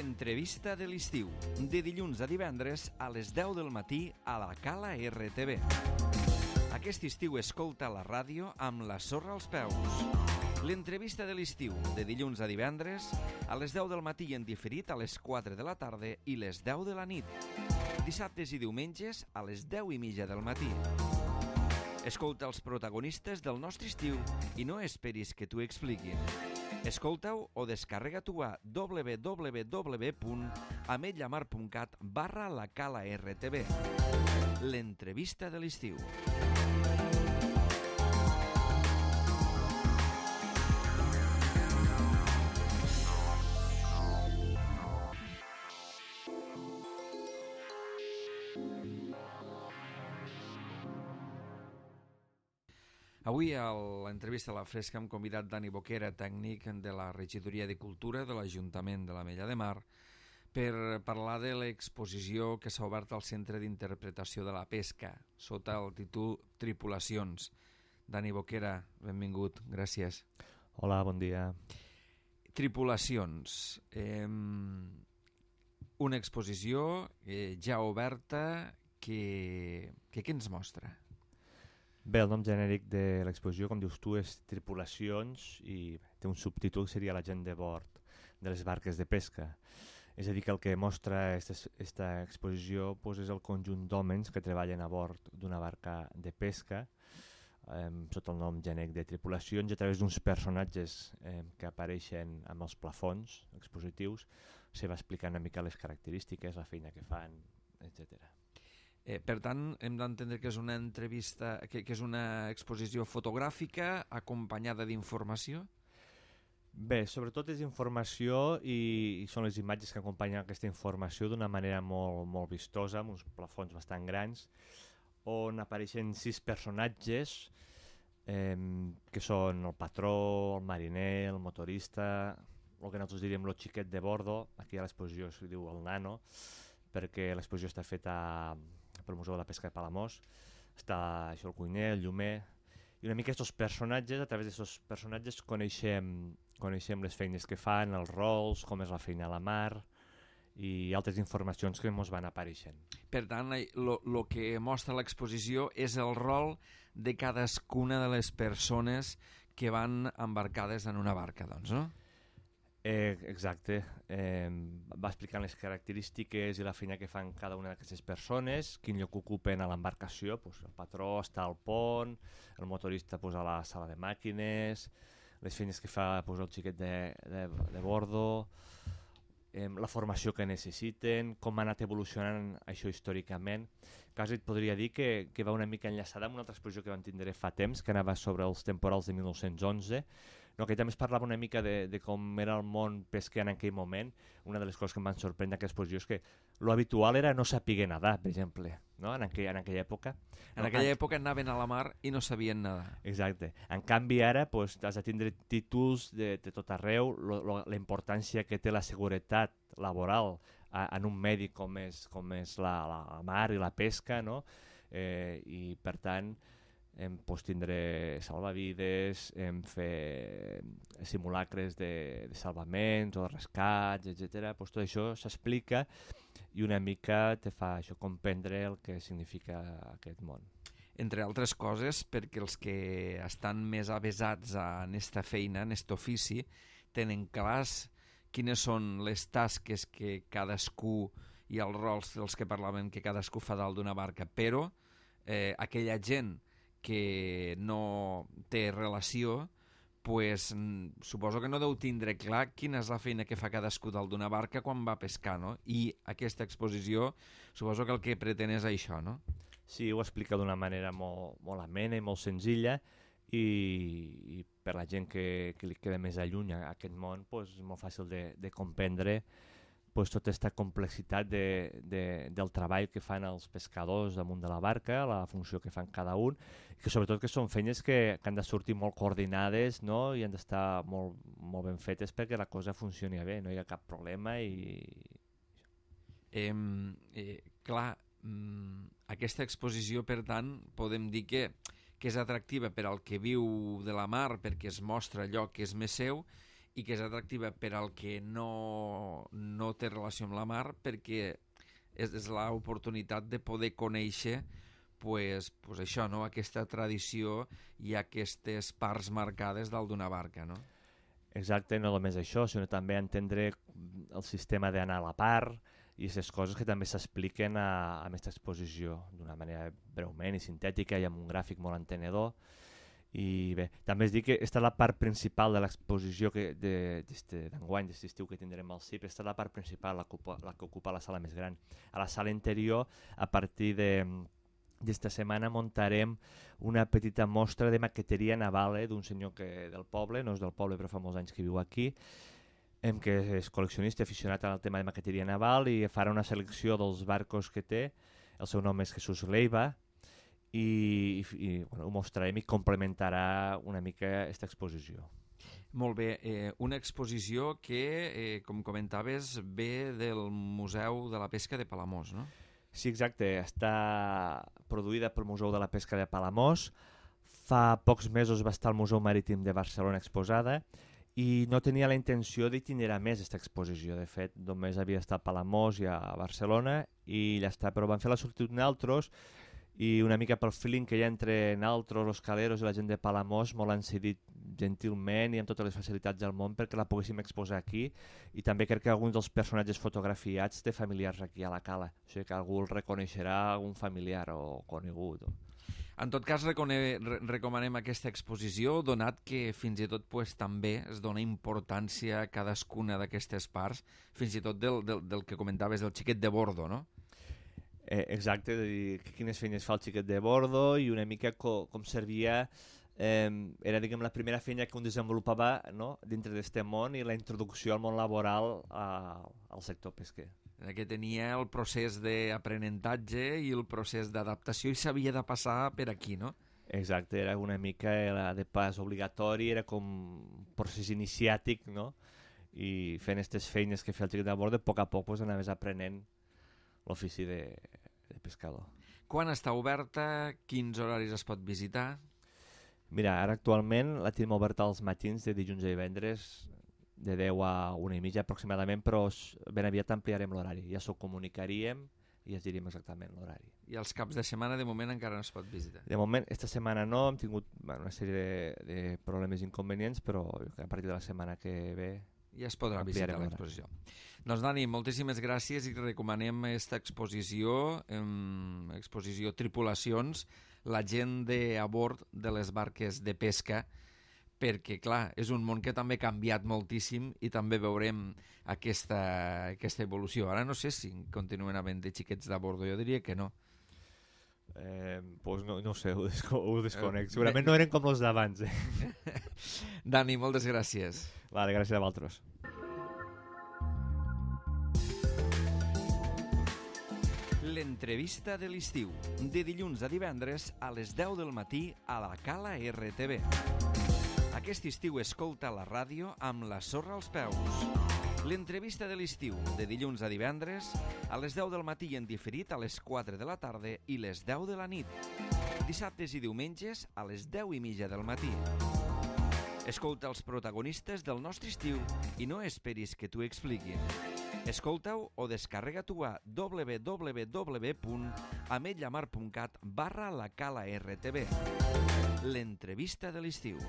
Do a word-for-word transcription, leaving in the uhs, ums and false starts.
L'entrevista de l'estiu, de dilluns a divendres a les deu del matí a la Cala R T V. Aquest estiu escolta la ràdio amb la sorra als peus. L'entrevista de l'estiu, de dilluns a divendres a les deu del matí i en diferit a les quatre de la tarda i les deu de la nit. Dissabtes i diumenges a les deu i mitja del matí. Escolta els protagonistes del nostre estiu i no esperis que t'ho expliquin. Escolta-ho o descarrega-t'ho a w w w punt ametlllamar punt cat barra la Cala R T V. L'entrevista de l'estiu. Avui a l'entrevista a la Fresca hem convidat Dani Boquera, tècnic de la Regidoria de Cultura de l'Ajuntament de l'Ametlla de Mar, per parlar de l'exposició que s'ha obert al Centre d'Interpretació de la Pesca, sota el títol Tripulacions. Dani Boquera, benvingut, gràcies. Hola, bon dia. Tripulacions. Eh, una exposició eh, ja oberta que, que què ens mostra? Bé, el nom genèric de l'exposició, com dius tu, és Tripulacions i té un subtítol que seria la gent de bord de les barques de pesca. És a dir, que el que mostra aquesta exposició pues, és el conjunt d'homes que treballen a bord d'una barca de pesca eh, sota el nom genèric de Tripulacions i a través d'uns personatges eh, que apareixen amb els plafons expositius se va explicant una mica les característiques, la feina que fan, etcètera. Eh, per tant, hem d'entendre que és una entrevista, que, que és una exposició fotogràfica acompanyada d'informació? Bé, sobretot és informació i, i són les imatges que acompanyen aquesta informació d'una manera molt, molt vistosa, amb uns plafons bastant grans, on apareixen sis personatges eh, que són el patró, el mariner, el motorista, el que nosaltres diríem el xiquet de bordo, aquí a l'exposició s'hi diu el nano, perquè l'exposició està feta pel Museu de la Pesca de Palamós, està això, el cuiner, el llumer, i una mica aquests personatges, a través d'aquests personatges coneixem, coneixem les feines que fan, els rols, com és la feina a la mar i altres informacions que ens van apareixent. Per tant, el que mostra l'exposició és el rol de cadascuna de les persones que van embarcades en una barca, doncs, no? Eh, exacte, eh, va explicant les característiques i la feina que fan cada una d'aquestes persones, quin lloc ocupen a l'embarcació, pues, el patró està al pont, el motorista pues, a la sala de màquines, les feines que fa pues, el xiquet de, de, de bordo, eh, la formació que necessiten, com ha anat evolucionant això històricament. Quasi et podria dir que, que va una mica enllaçada amb una altra exposició que vam tindre fa temps, que anava sobre els temporals de mil nou-cents onze, no, que també es parlava una mica de, de com era el món pesquer en aquell moment. Una de les coses que em van sorprendre d'aquesta exposició és que lo habitual era no saber nedar, per exemple, no? en, aquell, en aquella època. En aquella època anaven a la mar i no sabien nedar. Exacte. En canvi ara pues, has de tindre títols de, de tot arreu, lo, lo, la importància que té la seguretat laboral a, en un medi com és, com és la, la mar i la pesca, no? eh, i per tant em pues, tindre salvavides, em fer simulacres de, de salvaments o de rescats, etcètera. Pues, tot això s'explica i una mica te fa això comprendre el que significa aquest món. Entre altres coses, perquè els que estan més avesats en esta feina, en aquest ofici, tenen clars quines són les tasques que cadascú i els rols dels que parlàvem que cadascú fa dalt d'una barca, però eh, aquella gent que no té relació, pues, suposo que no deu tindre clar quina és la feina que fa cadascú dalt d'una barca quan va pescar, no? I aquesta exposició suposo que el que pretén és això, no? Sí, ho explica d'una manera molt, molt amena i molt senzilla i, i per la gent que, que li queda més alluny a aquest món pues, és molt fàcil de, de comprendre pues, tota aquesta complexitat de, de, del treball que fan els pescadors damunt de la barca, la funció que fan cada un, i que sobretot que són feines que, que han de sortir molt coordinades, no? I han d'estar molt, molt ben fetes perquè la cosa funcioni bé, no hi ha cap problema. I eh, eh, clar, aquesta exposició, per tant, podem dir que, que és atractiva per al que viu de la mar perquè es mostra allò que és més seu i que és atractiva per al que no, no té relació amb la mar, perquè és, és l'oportunitat de poder conèixer pues, pues això, no? Aquesta tradició i aquestes parts marcades dalt d'una barca, no? Exacte, no només això, sinó també entendre el sistema d'anar a la part i aquestes coses que també s'expliquen a, a aquesta exposició d'una manera breument i sintètica i amb un gràfic molt entenedor. I bé, també es diu que aquesta és la part principal de l'exposició d'enguany, d'aquest estiu que tindrem al C I P, aquesta és la part principal, la que, ocupa, la que ocupa la sala més gran. A la sala interior, a partir de d'esta setmana muntarem una petita mostra de maqueteria naval eh, d'un senyor que del poble, no és del poble però fa molts anys que viu aquí, em, que és col·leccionista aficionat al tema de maqueteria naval i farà una selecció dels barcos que té. El seu nom és Jesús Leiva i, i, i bueno, ho mostrarem i complementarà una mica aquesta exposició. Molt bé, eh, una exposició que, eh, com comentaves, ve del Museu de la Pesca de Palamós, no? Sí, exacte. Està produïda pel Museu de la Pesca de Palamós. Fa pocs mesos va estar al Museu Marítim de Barcelona exposada i no tenia la intenció d'itinerar més aquesta exposició. De fet, només havia estat a Palamós i a Barcelona i ja està, però van fer la sortida d'altres i una mica pel feeling que hi ha entre naltros, los caleros i la gent de Palamós molt han cedit gentilment i amb totes les facilitats del món perquè la poguéssim exposar aquí i també crec que alguns dels personatges fotografiats té familiars aquí a la cala, o sigui que algú el reconeixerà, algun familiar o conegut. O... En tot cas, recone... recomanem aquesta exposició, donat que fins i tot pues, també es dona importància a cadascuna d'aquestes parts, fins i tot del, del, del que comentaves, del xiquet de bordo, no? Eh, exacte, de dir quines feines fa el xiquet de bordo i una mica co com servia, eh, era diguem la primera feina que un desenvolupava no? dintre d'este món i la introducció al món laboral a, al sector pesquer. Que tenia el procés d'aprenentatge i el procés d'adaptació i s'havia de passar per aquí, no? Exacte, era una mica era de pas obligatori, era com un procés iniciàtic, no? I fent aquestes feines que feia el xiquet de bordo, a poc a poc pues, anaves aprenent l'ofici de, de pescador. Quan està oberta? Quins horaris es pot visitar? Mira, ara actualment la tenim oberta als matins de dilluns a divendres de deu a una i mitja aproximadament, però ben aviat ampliarem l'horari. Ja s'ho comunicaríem i es diríem exactament l'horari. I els caps de setmana de moment encara no es pot visitar? De moment, esta setmana no, hem tingut bueno, una sèrie de, de problemes inconvenients, però a partir de la setmana que ve ja es podrà visitar l'exposició. Doncs Dani, moltíssimes gràcies i recomanem aquesta exposició, eh, exposició Tripulacions, la gent de a bord de les barques de pesca, perquè, clar, és un món que també ha canviat moltíssim i també veurem aquesta, aquesta evolució. Ara no sé si continuen havent de xiquets de bordo, jo diria que no. Eh, pues no, no sé, ho, desco ho desconec. Segurament no eren com els d'abans. Eh? Dani, moltes gràcies. Vale, gràcies a vosaltres. L'entrevista de l'estiu, de dilluns a divendres a les deu del matí a la Cala R T V. Aquest estiu escolta la ràdio amb la sorra als peus. L'entrevista de l'estiu, de dilluns a divendres, a les deu del matí en diferit a les quatre de la tarda i les deu de la nit. Dissabtes i diumenges a les deu i mitja del matí. Escolta els protagonistes del nostre estiu i no esperis que t'ho expliquin. Escolta-ho o descarrega-t'ho a w w w punt ametlllamar punt cat barra la cala R T V. L'entrevista de l'estiu.